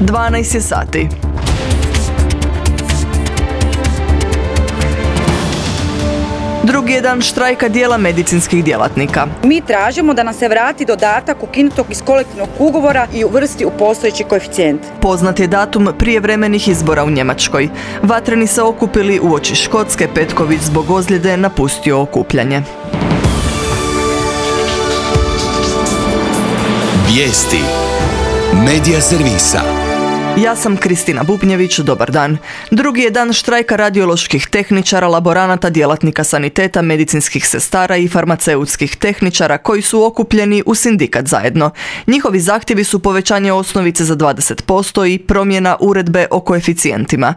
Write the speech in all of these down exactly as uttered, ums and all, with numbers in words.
dvanaest je sati. Drugi je dan štrajka dijela medicinskih djelatnika. Mi tražimo da nam se vrati dodatak ukinutog iz kolektivnog ugovora i uvrsti u postojeći koeficijent. Poznat je datum prijevremenih izbora u Njemačkoj. Vatreni se okupili uoči Škotske, Petković zbog ozljede napustio okupljanje. Vijesti Medija servisa. Ja sam Kristina Bubnjević, dobar dan. Drugi je dan štrajka radioloških tehničara, laboranata, djelatnika saniteta, medicinskih sestara i farmaceutskih tehničara koji su okupljeni u sindikat zajedno. Njihovi zahtjevi su povećanje osnovice za dvadeset posto i promjena uredbe o koeficijentima.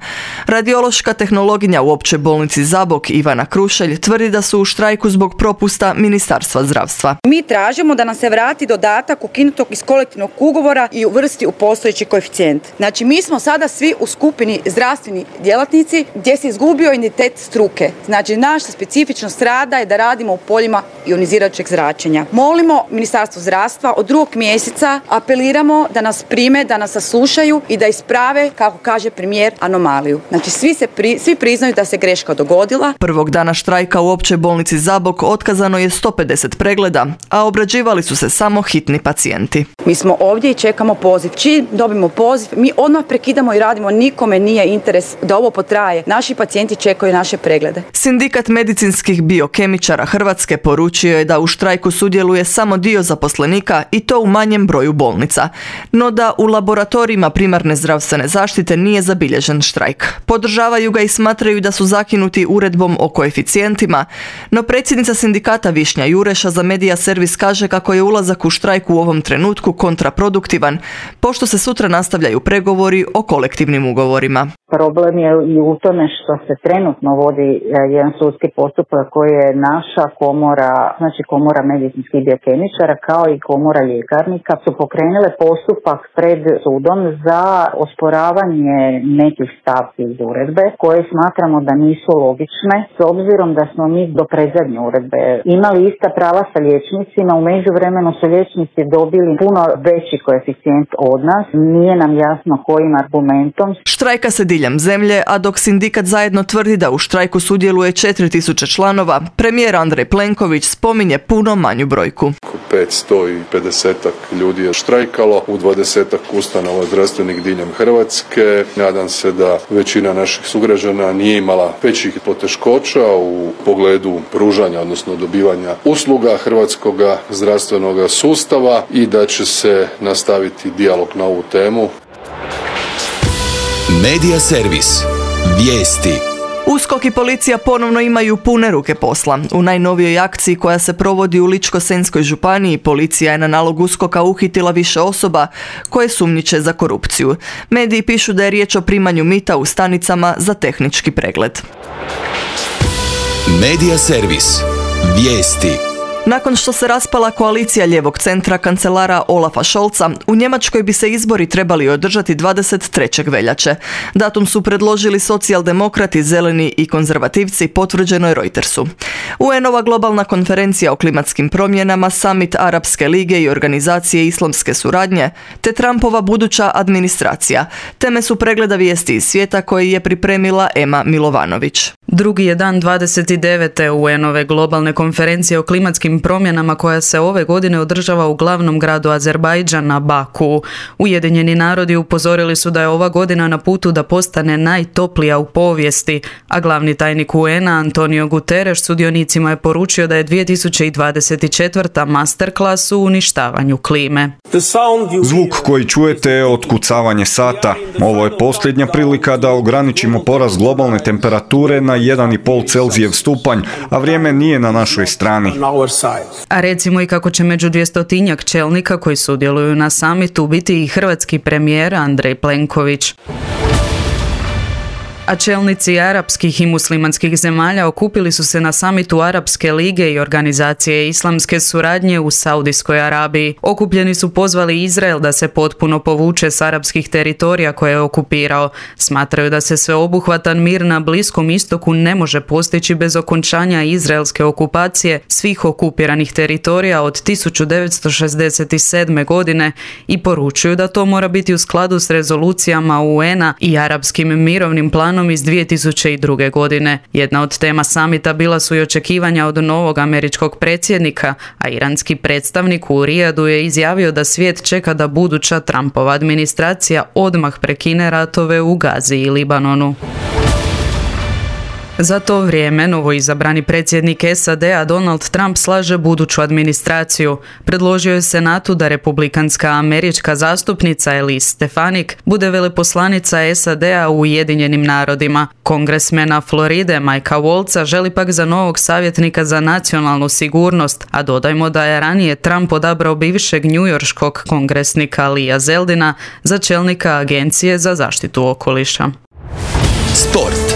Radiološka tehnologinja u Općoj bolnici Zabok Ivana Krušelj tvrdi da su u štrajku zbog propusta Ministarstva zdravstva. Mi tražimo da nam se vrati dodatak ukinutog iz kolektivnog ugovora i uvrsti u postojeći koeficijent. Znači, mi smo sada svi u skupini zdravstveni djelatnici gdje se izgubio identitet struke. Znači, naša specifičnost rada je da radimo u poljima ionizirajućeg zračenja. Molimo Ministarstvo zdravstva od drugog mjeseca, apeliramo da nas prime, da nas saslušaju i da isprave, kako kaže premijer, anomaliju. Znači, svi, se pri, svi priznaju da se greška dogodila. Prvog dana štrajka u Općoj bolnici Zabok otkazano je sto pedeset pregleda, a obrađivali su se samo hitni pacijenti. Mi smo ovdje i čekamo poziv. Čim dobimo poziv, mi odmah prekidamo i radimo, nikome nije interes da ovo potraje. Naši pacijenti čekaju naše preglede. Sindikat medicinskih biokemičara Hrvatske poručio je da u štrajku sudjeluje samo dio zaposlenika i to u manjem broju bolnica. No da u laboratorijima primarne zdravstvene zaštite nije zabilježen štrajk. Podržavaju ga i smatraju da su zakinuti uredbom o koeficijentima, no predsjednica sindikata Višnja Jureša za Medija servis kaže kako je ulazak u štrajk u ovom trenutku kontraproduktivan, pošto se sutra nastavljaju pregovori o kolektivnim ugovorima. Problem je i u tome što se trenutno vodi jedan sudski postupak koji je naša komora, znači komora medicinskih biokemičara kao i komora ljekarnika su pokrenule postupak pred sudom za osporavanje nekih stavki iz uredbe koje smatramo da nisu logične s obzirom da smo mi do predzadnje uredbe imali ista prava sa liječnicima, u međuvremenu su liječnici dobili puno veći koeficijent od nas, nije nam jasno kojim argumentom. Štrajka se diljem zemlje, a dok sindikat zajedno tvrdi da u štrajku sudjeluje četiri tisuće članova, premijer Andrej Plenković spominje puno manju brojku. petsto pedeset ljudi je štrajkalo u dvadesetak ustanova zdravstvenih diljem Hrvatske. Nadam se da većina naših sugrađana nije imala većih poteškoća u pogledu pružanja, odnosno dobivanja usluga hrvatskog zdravstvenog sustava i da će se nastaviti dijalog na ovu temu. Medija servis. Vijesti. USKOK i policija ponovno imaju pune ruke posla. U najnovijoj akciji koja se provodi u Ličko-senjskoj županiji, policija je na nalog USKOK-a uhitila više osoba koje sumnjiče za korupciju. Mediji pišu da je riječ o primanju mita u stanicama za tehnički pregled. Medija servis. Vijesti. Nakon što se raspala koalicija lijevog centra kancelara Olafa Scholza, u Njemačkoj bi se izbori trebali održati dvadeset trećeg veljače. Datum su predložili socijaldemokrati, zeleni i konzervativci, potvrđeno je Reutersu. U en-ova globalna konferencija o klimatskim promjenama, summit Arapske lige i organizacije islamske suradnje, te Trumpova buduća administracija. Teme su pregleda vijesti iz svijeta koje je pripremila Ema Milovanović. Drugi je dan dvadeset devete u en-ove globalne konferencije o klimatskim promjenama koja se ove godine održava u glavnom gradu Azerbajdžana, Baku. Ujedinjeni narodi upozorili su da je ova godina na putu da postane najtoplija u povijesti, a glavni tajnik u en-a Antonio Guterres sudionicima je poručio da je dvije tisuće dvadeset četvrta masterclass u uništavanju klime. Zvuk koji čujete je otkucavanje sata. Ovo je posljednja prilika da ograničimo porast globalne temperature na jedan i pol Celzijev stupanj, a vrijeme nije na našoj strani. A recimo i kako će među dvjestotinjak čelnika koji sudjeluju na samitu biti i hrvatski premijer Andrej Plenković. A čelnici arapskih i muslimanskih zemalja okupili su se na samitu Arapske lige i organizacije islamske suradnje u Saudijskoj Arabiji. Okupljeni su pozvali Izrael da se potpuno povuče s arapskih teritorija koje je okupirao. Smatraju da se sveobuhvatan mir na Bliskom istoku ne može postići bez okončanja izraelske okupacije svih okupiranih teritorija od tisuću devetsto šezdeset sedme. godine i poručuju da to mora biti u skladu s rezolucijama U N-a i arapskim mirovnim planom iz dvije tisuće druge. godine. Jedna od tema samita bila su i očekivanja od novog američkog predsjednika, a iranski predstavnik u Rijadu je izjavio da svijet čeka da buduća Trumpova administracija odmah prekine ratove u Gazi i Libanonu. Za to vrijeme novoizabrani predsjednik S A D-a Donald Trump slaže buduću administraciju. Predložio je Senatu da republikanska američka zastupnica Elise Stefanik bude veleposlanica S A D-a u Ujedinjenim narodima. Kongresmena Floride Mikea Waltza želi pak za novog savjetnika za nacionalnu sigurnost, a dodajmo da je ranije Trump odabrao bivšeg njujorškog kongresnika Leea Zeldina za čelnika Agencije za zaštitu okoliša. Sport.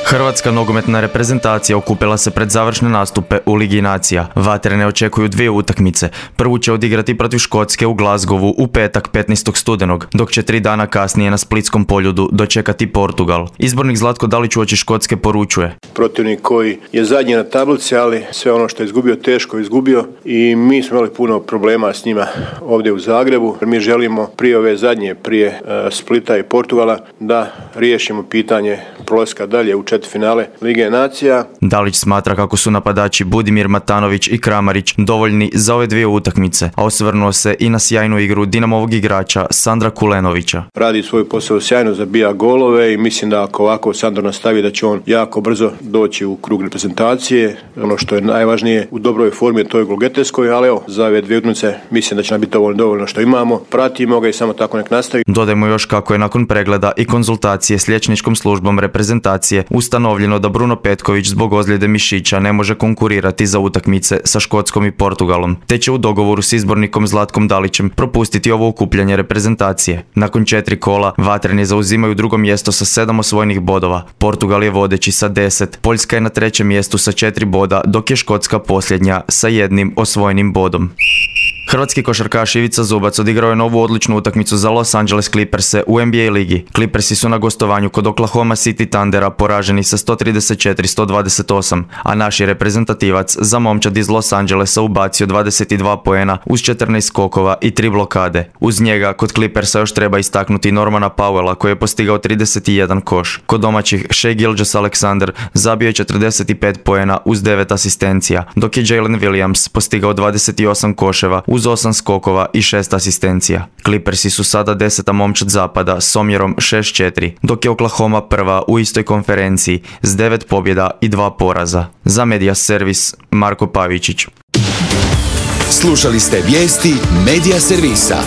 Hrvatska nogometna reprezentacija okupila se pred završne nastupe u Ligi nacija. Vatrene očekuju dvije utakmice. Prvu će odigrati protiv Škotske u Glasgowu u petak petnaestog studenog, dok će tri dana kasnije na Splitskom poljudu dočekati Portugal. Izbornik Zlatko Dalić uoči Škotske poručuje: Protivnik koji je zadnji na tablici, ali sve ono što je izgubio teško je izgubio i mi smo imali puno problema s njima ovdje u Zagrebu. Mi želimo prije ove zadnje, prije uh, Splita i Portugala da riješimo pitanje prolaska dalje u finale Lige nacija. Dalić smatra kako su napadači Budimir Matanović i Kramarić dovoljni za ove dvije utakmice, a osvrnuo se i na sjajnu igru Dinamovog igrača Sandra Kulenovića. Radi svoj posao sjajno, zabija golove i mislim da ako ovako Sandro nastavi da će on jako brzo doći u krug reprezentacije. Ono što je najvažnije u dobroj formi, to je golgeteskoj, ali evo, za ove dvije utakmice mislim da će nam biti dovoljno, dovoljno što imamo. Pratimo ga i samo tako nek nastavi. Dodajmo još kako je nakon pregleda i konzultacije s liječničkom službom reprezentacije ustanovljeno da Bruno Petković zbog ozljede mišića ne može konkurirati za utakmice sa Škotskom i Portugalom, te će u dogovoru s izbornikom Zlatkom Dalićem propustiti ovo okupljanje reprezentacije. Nakon četiri kola Vatreni zauzimaju drugo mjesto sa sedam osvojenih bodova. Portugal je vodeći sa deset, Poljska je na trećem mjestu sa četiri boda, dok je Škotska posljednja sa jednim osvojenim bodom. Hrvatski košarkaš Ivica Zubac odigrao je novu odličnu utakmicu za Los Angeles Clipperse u N B A ligi. Clippersi su na gostovanju kod Oklahoma City Thundera poraženi sa sto trideset četiri sto dvadeset osam, a naš je reprezentativac za momčad iz Los Angelesa ubacio dvadeset dva poena uz četrnaest skokova i tri blokade. Uz njega kod Clippersa još treba istaknuti Normana Powella koji je postigao trideset jedan koš. Kod domaćih Shai Gilgeous-Alexander zabio je četrdeset pet poena uz devet asistencija, dok je Jalen Williams postigao dvadeset osam koševa uz osam skokova i šest asistencija. Clippersi su sada deseta momčad zapada s omjerom šest četiri, dok je Oklahoma prva u istoj konferenciji s devet pobjeda i dva poraza. Za Media Servis Marko Pavičić. Slušali ste vijesti Media Servisa.